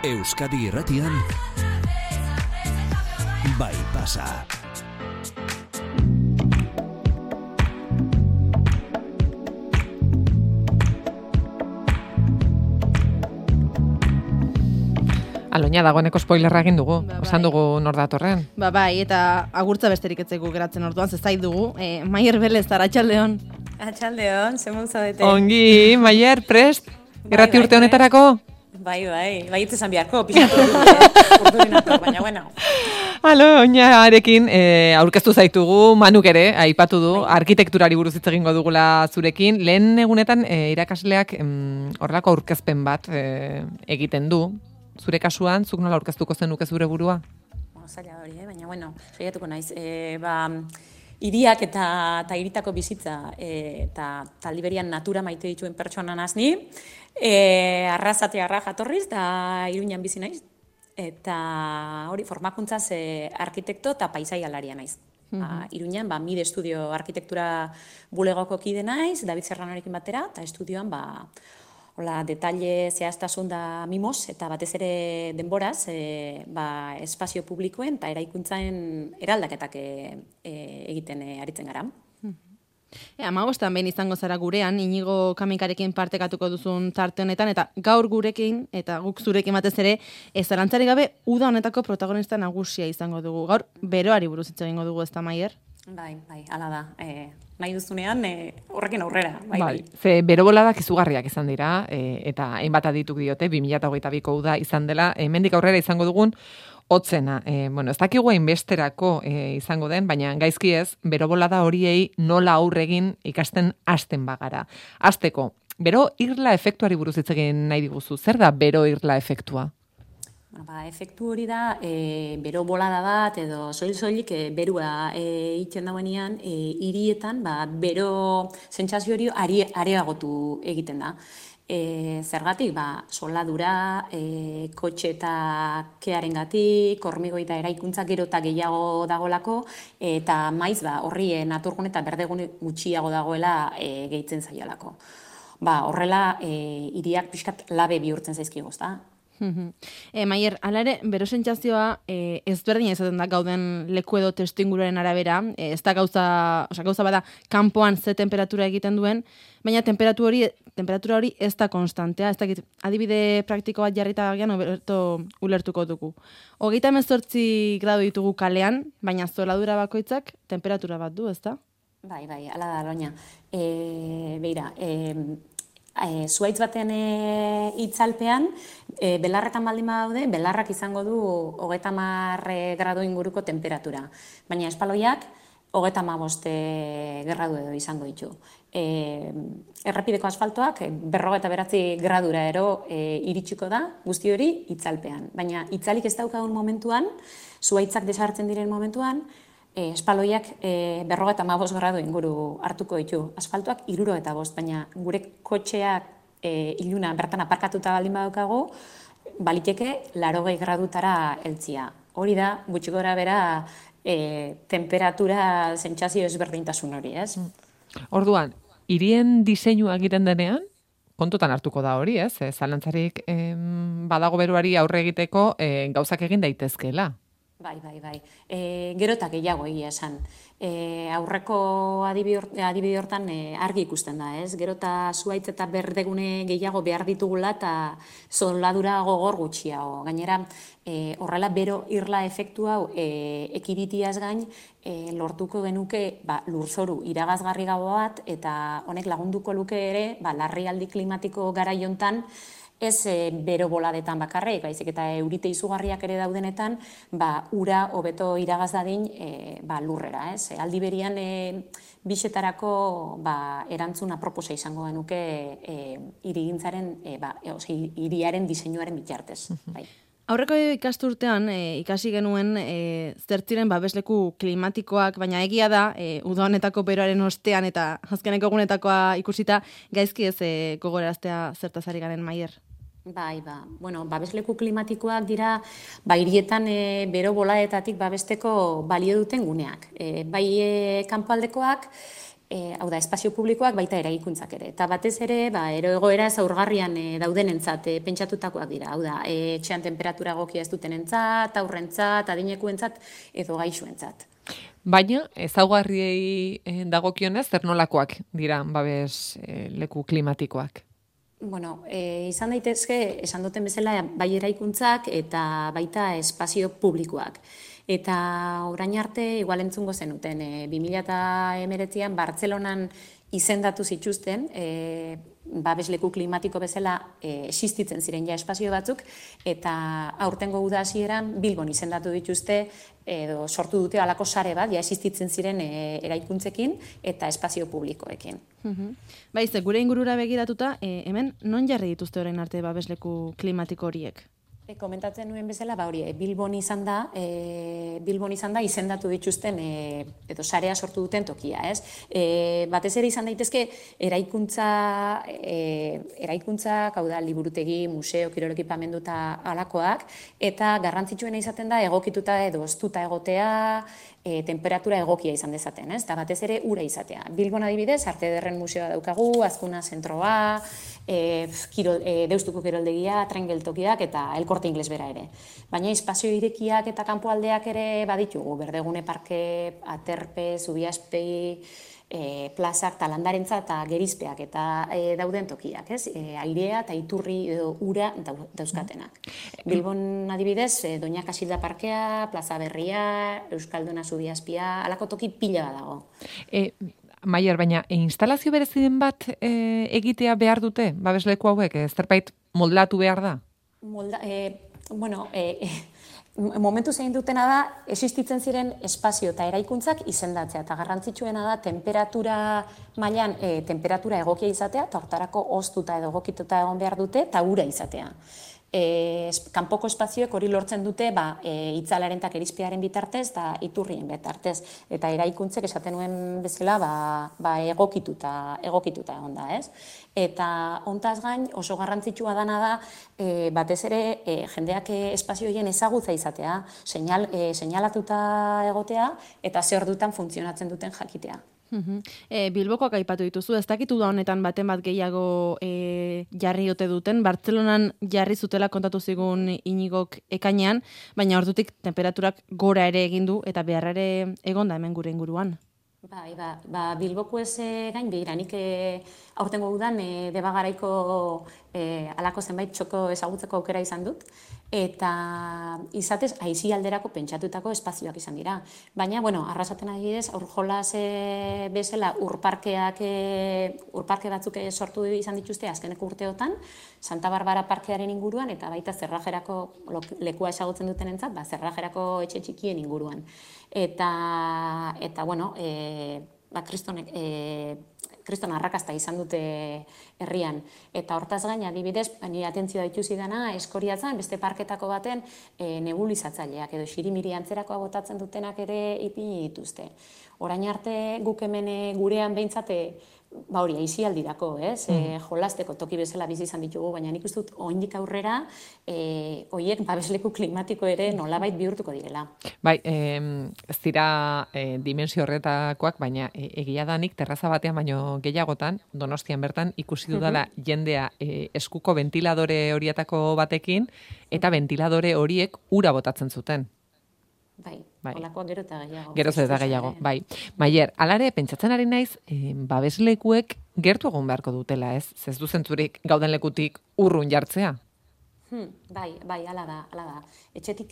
Euskadi Irratian Bai Pasa. Aloina dagoeneko spoilerra egin dugu, esan dugu nor datorren. Bai, eta agurtza besterik etzeko geratzen orduan, zezait dugu. Maier Belez, arratsaldeon. Arratsaldeon, zer zaudete? Ongi, Maier, prest? Irrati urte honetarako? Bai, itzezan biharko, pixatu urduinator, baina bueno. Aloinarekin aurkeztu zaitugu, Manuk ere, aipatu du, arkitekturari buruz hitz egingo dugula zurekin. Lehen egunetan irakasleak horrelako aurkezpen bat egiten du. Zure kasuan, zuk nola aurkeztuko zenuke zure burua? Zaila hori, baina bueno, saiatuko naiz. Hiriak eta hiritako bizitza eta Liberian natura maite dituen pertsona nazni. Arrasatearra jatorriz da Iruñan bizi naiz. Eta hori formakuntzaz arkitekto eta paisaialaria naiz. Iruñan MIDE Estudio Arkitektura bulegoko kide naiz, David Serranorekin batera, eta estudioan hola, detalle zehaztasun da mimoz, eta batez ere denboraz, espazio publikoen eta eraikuntzaren eraldaketak egiten aritzen gara. Amabostan behin izango zara gurean, Inigo Kamikarekin partekatuko duzun tarte honetan, eta gaur gurekin, eta guk zurekin batez ere, zalantzari gabe, uda honetako protagonista nagusia izango dugu. Gaur, beroari buruz hitz egingo dugu, ezta Maier? Bai, hala da. Nahi duzunean, horrekin aurrera. Bai. Ze bero boladak izugarriak izan dira, eta hainbat adituk diote, 2022ko uda izan dela, hemendik aurrera izango dugun, hotzena. Ez dakigu hainbesterako izango den, baina gaizki ez, bero bolada horiei nola aurregin ikasten hasten bagara. Hasteko, bero irla efektuari buruz hitz egin nahi diguzu. Zer da bero irla efektua? Efektu hori da, bero bolada bat edo soilik berua egiten dauenean, hirietan bero sentsazio hori areagotu egiten da. Zergatik, soldadura, kotxe eta kearengatik, hormigoi eta eraikuntza gero eta gehiago dagolako, eta maiz horri naturgun eta berdegune gutxiago dagoela gehitzen zaiolako. Horrela, hiriak pixkat labe bihurtzen zaizkigu, ezta? Maier, hala ere, bero sentsazioa ezberdina izaten da gauden leku edo testuinguruaren arabera, ez da gauza bada kanpoan ze temperatura egiten duen, baina temperatura hori ez da konstantea, ez dakit, adibide praktiko bat jarrita gian ulertuko dugu. 38 gradu ditugu kalean, baina zoladura bakoitzak temperatura bat du, ez da? Bai, hala da, Aloina. Beira, zuaitz baten itzalpean, belarretan baldin badaude, belarrak izango du 30 gradu inguruko temperatura. Baina espaloiak 35 gradu edo izango ditu. Errepideko asfaltoak 59 gradura iritsiko da guzti hori itzalpean. Baina itzalik ez daukagun momentuan, zuaitzak desartzen diren momentuan, espaloiak 55 gradu inguru hartuko ditu. Asfaltoak 65, baina gure kotxeak iluna bertan aparkatuta baldin badaukago, baliteke 80 gradutara heltzia. Hori da, gutxi gora bera, temperatura sentsazio ezberdintasun hori, ez? Orduan, hirien diseinua egiten denean, kontutan hartuko da hori, ez? Zalantzarik badago beruari aurre egiteko gauzak egin daitezkeela. Bai. Gero eta gehiago egia esan. Aurreko adibide hortan argi ikusten da, ez? Gero eta zuaitz eta berdegune gehiago behar ditugula eta zoladura gogor gutxiago. Gainera, horrela bero irla efektu hau ekiditiaz gain, lortuko genuke lurzoru iragazgarri gabo bat, eta honek lagunduko luke ere, larrialdi klimatiko garaiontan, ez bero boladetan bakarrik, baizik eta eurite izugarriak ere daudenetan, ura hobeto iragaz dadin lurrera, ez? Aldi berian bixetarako erantzun aproposa izango genuke hirigintzaren, hiriaren diseinuaren bitartez. Aurreko ikasturtean ikasi genuen zertziren babesleku klimatikoak, baina egia da, uda honetako beroaren ostean eta azkeneko egunetakoa ikusita, gaizki ez gogoraraztea zertaz ari garen, Maier? Bai, babesleku klimatikoak dira, hirietan bero bolaetatik babesteko balio duten guneak. Bai kanpoaldekoak, hau da, espazio publikoak baita eraikuntzak ere. Eta batez ere, egoera zaurgarrian daudenentzat pentsatutakoak dira. Hau da, etxean temperatura egokia ez dutenentzat, aurrentzat, adinekuentzat edo gaixoentzat. Baina, ezaugarriei dagokionez, zer nolakoak dira babes leku klimatikoak? Bueno, izan daitezke, esan duten bezala, bai eraikuntzak eta baita espazio publikoak. Eta orain arte, igual entzungo zenuten, 2019an Bartzelonan izendatu zituzten, babesleku klimatiko bezala existitzen ziren ja espazio batzuk, eta aurtengo uda hasieran Bilbon izendatu dituzte, edo sortu dute halako sare bat, ja existitzen ziren eraikuntzekin eta espazio publikoekin. Baiz, gure ingurura begiratuta, hemen non jarri dituzte orain arte babesleku klimatiko horiek? Komentatzen nuen bezala, hori, Bilbon izan da izendatu dituzten edo sarea sortu duten tokia, ez? Batez ere izan daitezke eraikuntzak, hau da, liburutegi, museo, kirol ekipamendu eta halakoak, eta garrantzitsuena izaten da egokituta edo oztuta egotea, temperatura egokia izan dezaten, ez? Eta batez ere ura izatea. Bilbon adibidez, Arte Ederren museoa daukagu, Azkuna zentroa, Deustuko kiroldegia, tren geltokiak eta El Corte Inglés bera ere. Baina espazio irekiak eta kanpoaldeak ere baditugu, Berdegune Parke, Aterpe, Zubiaspei, plazak, talandarentza eta gerizpeak eta dauden tokiak, ez? Airea eta iturri edo ura dauzkatenak. Bilbon adibidez, Doña Casilda Parkea, Plaza Berria, Euskalduna Zubiaspia, halako toki pila dago. Maier, baina instalazio bereziden bat egitea behar dute, babesleku hauek, zerbait moldatu behar da? Momentu zein dutena da, existitzen ziren espazio eta eraikuntzak izendatzea, eta garrantzitsuena da temperatura mailan temperatura egokia izatea, eta hortarako oztuta edo egokituta egon behar dute, eta ura izatea. Kanpoko espazioek hori lortzen dute itzalaren eta gerizpearen bitartez eta iturrien bitartez. Eta eraikuntzek esaten nuen bezala egokituta egon da, ez? Eta hontaz gain oso garrantzitsua dana da batez ere jendeak espazio horien ezagutza izatea, seinalatuta egotea eta ze ordutan funtzionatzen duten jakitea. Bilbokoak aipatu dituzu, ez dakitu da honetan baten bat gehiago jarri ote duten, Bartzelonan jarri zutela kontatu zigun Iñigok ekainean, baina ordutik temperaturak gora ere egin du eta beharra ere egon da hemen gure inguruan. Bilboko ez gain behira, nik aurtengo udan Debagaraiko alako zenbait txoko ezagutzeko aukera izan dut, eta izatez aizi alderako pentsatutako espazioak izan dira. Baina, arrasaten adibidez, aurjolas bezala urparke batzuk sortu izan dituzte azkeneko urteotan, Santa Barbara parkearen inguruan, eta baita Zerrajerako lekua ezagutzen dutenentzat, Zerrajerako etxe txikien inguruan. Eta kriston arrakasta izan dute herrian. Eta hortaz gain, adibidez, nire atentzioa dituzi dana, Eskoriatzen, beste parketako baten nebulizatzaileak edo xirimiri antzerakoa botatzen dutenak ere ipini dituzte. Orain arte guk hemen gurean behintzate, aizialdirako, ez? Jolasteko toki bezala bizi izan ditugu, baina nik uste dut oraindik aurrera horiek babesleku klimatiko ere nolabait bihurtuko direla. Bai, ez dira dimensio horretakoak, baina egia da nik terraza batean baino gehiagotan, Donostian bertan ikusi dudala jendea eskuko ventiladore horietako batekin eta ventiladore horiek ura botatzen zuten. Bai, holakoak gero eta gehiago. Geroz eta gehiago, bai. Maier, alare, pentsatzen ari naiz, babeslekuek gertu egon beharko dutela, ez? Ez du zentzurik gauden lekutik urrun jartzea? Bai, ala da. Etxetik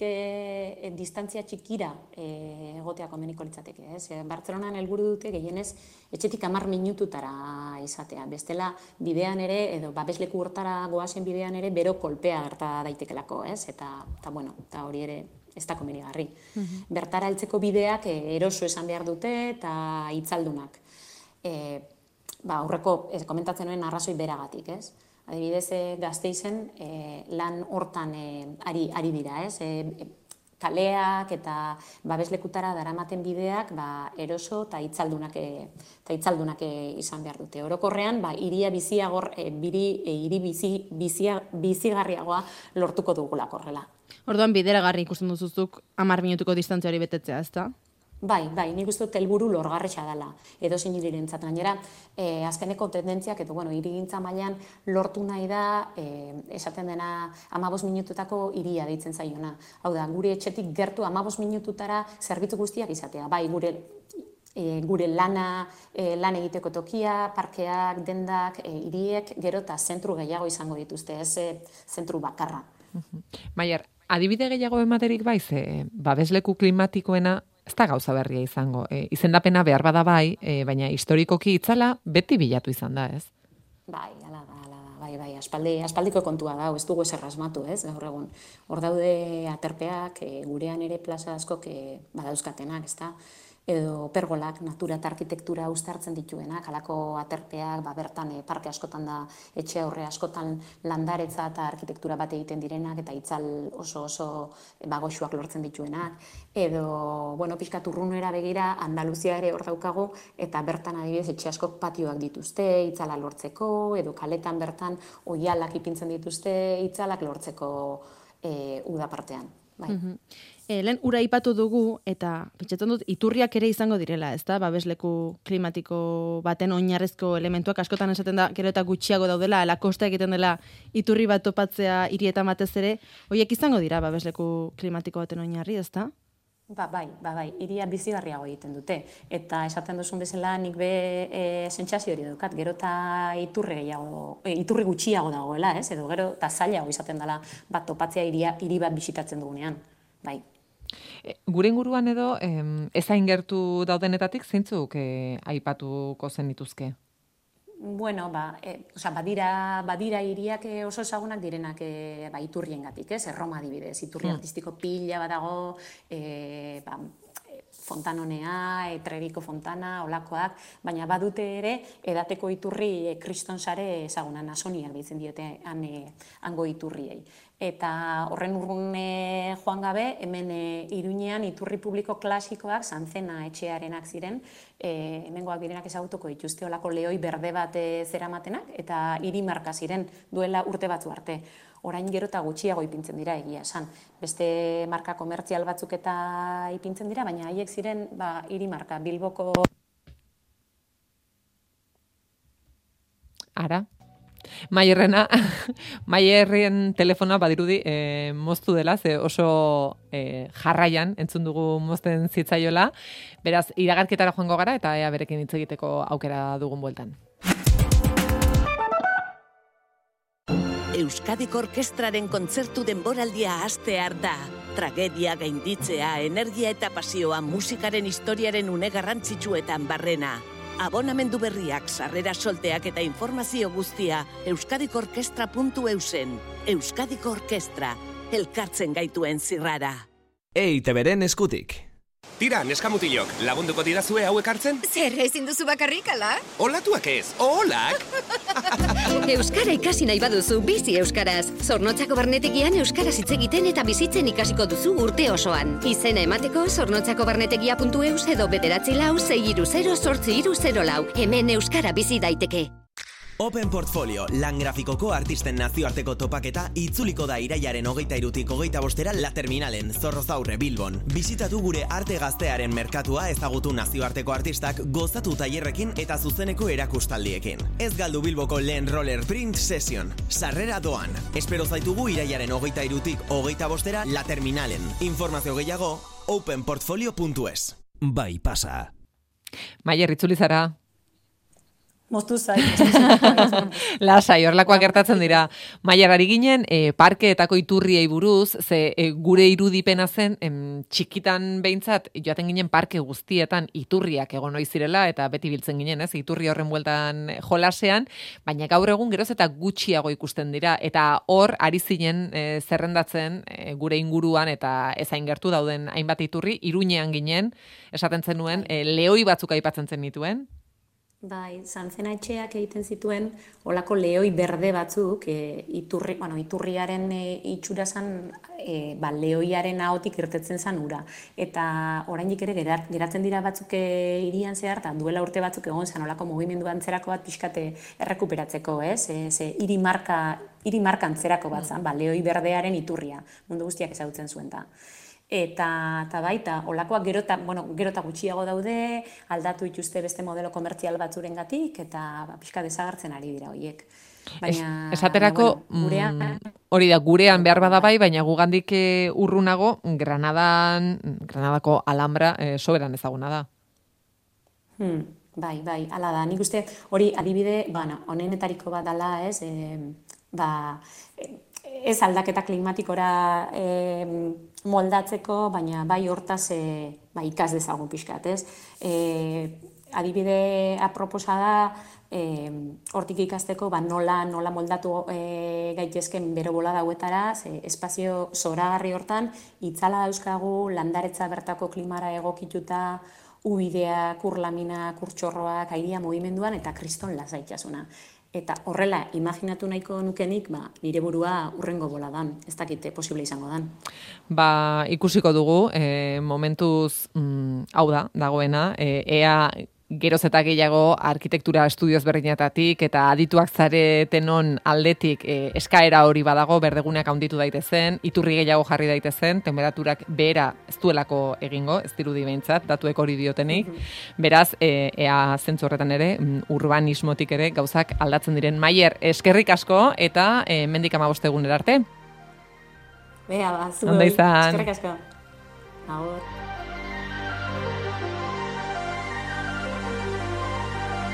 distantzia txikira egotea komeniko litzateke, ez? Bartzelonan helburu dute gehienez etxetik 10 minututara izatea. Bestela bidean ere, edo babesleku hortara goazen bidean ere, bero kolpea gerta daitekelako, ez? Eta hori ere ez da komenigarri. Bertara heltzeko bideak eroso esan behar dute eta itzaldunak. Aurreko komentatzen nuen arrazoi beragatik, ez? Adibidez, Gasteizen lan hortan ari dira, ez? Kaleak eta babeslekutara daramaten bideak eroso eta itzaldunak izan behar dute. Orokorrean, hiri bizigarriagoa lortuko dugulako horrela. Orduan bideragarri ikusten duzuzuk 10 minutuko distantziari betetzea, ezta? Bai, nik uste dut helburu lorgarria dela, edozein hirirentzat. Gainera, azkeneko tendentziak, eta hirigintza mailan lortu nahi da, esaten dena 15 minututako hiria deitzen zaiona. Hau da, gure etxetik gertu 15 minututara zerbitzu guztiak izatea. Bai, gure lan egiteko tokia, parkeak, dendak, hiriek, gero eta zentru gehiago izango dituzte, ez zentru bakarra. Maier, adibide gehiago ematerik bai, babesleku klimatikoena ez da gauza berria izango. Izendapena behar bada bai, baina historikoki itzala beti bilatu izan da, ez? Bai, ala da, bai, aspaldiko kontua da, ez dugu ezer asmatu, ez, gaur egun. Hor daude aterpeak, gurean ere plaza askok badauzkatenak, ez da? Edo pergolak, natura eta arkitektura uztartzen dituenak, halako aterpeak, bertan parke askotan da, etxe aurre askotan landaretza eta arkitektura bat egiten direnak, eta itzal oso goxuak lortzen dituenak. Edo, pixkat urrunera begira, Andaluzia ere hor daukagu, eta bertan adibidez etxe askok patioak dituzte, itzala lortzeko, edo kaletan bertan oihalak ipintzen dituzte, itzalak lortzeko uda partean. Bai. Lehen ura aipatu dugu, eta pentsatzen dut iturriak ere izango direla, ez da? Babesleku klimatiko baten oinarrezko elementuak askotan esaten da, gero eta gutxiago daudela, ala kosta egiten dela iturri bat topatzea hirietan batez ere, horiek izango dira babesleku klimatiko baten oinarri, ez da? Bai, hiria bizigarriago egiten dute. Eta esaten duzun bezala nik sentsazio hori daukat, gero eta iturri gutxiago dagoela, ez? Edo gero eta zailago izaten dela bat topatzea hiri bat bisitatzen dugunean. Bai. Gure inguruan edo, ezain gertu daudenetatik zeintzuk aipatuko zenituzke? Bueno, badira hiriak oso ezagunak direnak iturriengatik, ez? Erroma adibidez, iturri artistiko pila badago, Fontanonea, Treviko Fontana, olakoak, baina badute ere edateko iturri kriston sare ezaguna, nasoniak deitzen diote hango iturriei. Eta horren urrun joan gabe, hemen Iruñean iturri publiko klasikoak, Sanzena etxearenak ziren, hemengoak direnak ezagutuko dituzte olako lehoi berde bat zeramatenak, eta hiri marka ziren duela urte batzu arte. Orain gero eta gutxiago ipintzen dira egia esan. Beste marka komertzial batzuk eta ipintzen dira, baina haiek ziren hiri marka, Bilboko... Ara? Maierren telefona badirudi moztu dela, ze oso jarraian entzun dugu mozten zitzaiola. Beraz, iragarketara joango gara eta ea berekin hitz egiteko aukera dugun bueltan. Euskadiko Orkestraren kontzertu denboraldia hastear da. Tragedia gainditzea, energia eta pasioa musikaren historiaren une garrantzitsuetan barrena. Abonamendu berriak, sarrera solteak eta informazio guztia euskadikorkestra.eusen. Euskadiko Orkestra, elkartzen gaituen zirrara. EITB-ren eskutik. Tira, neskamutilok, lagunduko didazue hauek hartzen? Zer, ezin duzu bakarrik, ala? Olatuak ez, olak! Euskara ikasi nahi baduzu, bizi euskaraz. Zornotzako barnetegian euskaraz hitz egiten eta bizitzen ikasiko duzu urte osoan. Izena emateko zornotzakobarnetegia.eus edo 944063004. Hemen euskara bizi daiteke. Open Portfolio, lan grafikoko artisten nazioarteko topaketa itzuliko da iraiaren 23-tik 25-era La Terminalen, Zorrozaurre, Bilbon. Bisitatu gure arte gaztearen merkatua ezagutu nazioarteko artistak gozatu tailerrekin eta zuzeneko erakustaldiekin. Ez galdu Bilboko lehen roller print session. Sarrera doan. Espero zaitugu iraiaren 23-tik 25-era La Terminalen. Informazio gehiago, openportfolio.es. Bai pasa. Maier, itzuli zara. Moztu zai. Lasai, horlakoak gertatzen dira. Maier, ari ginen, parkeetako iturriei buruz, ze gure irudipena zen, txikitan behintzat, joaten ginen parke guztietan iturriak egon ohi zirela, eta beti biltzen ginen, ez, iturri horren bueltan jolasean, baina gaur egun geroz eta gutxiago ikusten dira, eta hor, ari zinen zerrendatzen gure inguruan, eta ezain gertu dauden hainbat iturri, Iruñean ginen, esaten zenuen, lehoi batzuk aipatzen zen nituen. Bai, Sanzena etxeak egiten zituen olako lehoi berde batzuk, iturriaren itxura zan, lehoiaren ahotik irtetzen zan ura. Eta oraindik ere geratzen dira batzuk hirian zehar, eta duela urte batzuk egon zan olako mugimendu antzerako bat pixkate errekuperatzeko, ez? Hiri marka antzerako bat zan, lehoi berdearen iturria, mundu guztiak ezagutzen zuen da. eta baita, olakoak gerota gutxiago daude, aldatu dituzte beste modelo komertzial batzurengatik eta pixka desagertzen ari dira horiek. Esaterako, hori da, gurean behar bada bai, baina gugandik urrunago, Granadako Alhambra soberan ezaguna da. Bai, hala da. Nik uste hori adibide, honenetariko bat dela, ez, ez aldaketa klimatikora moldatzeko, baina bai hortaz ikas dezagun pixkat, ez. Adibide aproposa da, hortik ikasteko nola moldatu gaitezken bero bola dauetara, espazio zoragarri hortan, itzala dauzkagu, landaretza bertako klimara egokituta, ubideak, urlaminak, urtxorroak, airia mugimenduan eta kriston lasaitasuna. Eta horrela, imaginatu nahiko nukenik, nire burua urrengo boladan, ez dakite posible izango dan. Ikusiko dugu, momentuz, hau da, dagoena, ea geroz eta gehiago arkitektura estudioz berdinetatik eta adituak zaretenon aldetik eskaera hori badago, berdeguneak handitu daitezen, iturri gehiago jarri daitezen, temperaturak behera ez duelako egingo, ez dirudi behintzat, datuek hori diotenik. Beraz, ea zentzu horretan ere, urbanismotik ere gauzak aldatzen diren. Maier, eskerrik asko eta mendik 15 egunera arte. Bea, zuei, eskerrik asko. Agur.